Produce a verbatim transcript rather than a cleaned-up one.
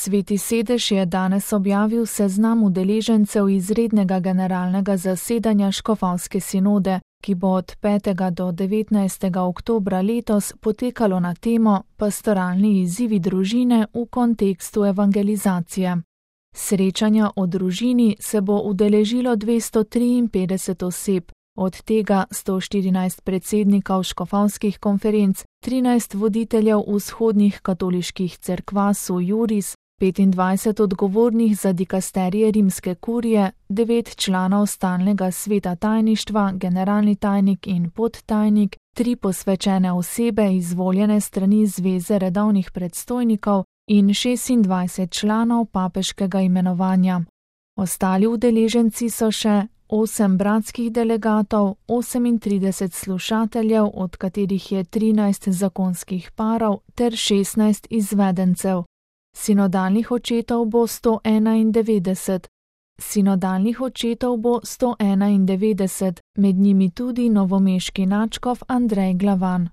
Sveti sedež je danes objavil seznam udeležencev izrednega generalnega zasedanja škofovske sinode, ki bo od petega do devetnajstega oktobra letos potekalo na temo Pastoralni izzivi družine v kontekstu evangelizacije. Srečanja o družini se bo udeležilo dvesto triinpetdeset oseb, od tega sto štirinajst predsednikov škofovskih konferenc, trinajst voditeljev vzhodnih katoliških cerkva sui juris, petindvajset odgovornih za dikasterije rimske kurije, devet članov stalnega sveta tajništva, generalni tajnik in podtajnik, tri posvečene osebe izvoljene strani Zveze redovnih predstojnikov in šestindvajset članov papeškega imenovanja. Ostali udeleženci so še osem bratskih delegatov, osemintrideset slušateljev, od katerih je trinajst zakonskih parov ter šestnajst izvedencev. Sinodalnih očetov bo sto enaindevetdeset. Sinodalnih očetov bo sto enaindevetdeset, med njimi tudi novomeški nadškof Andrej Glavan.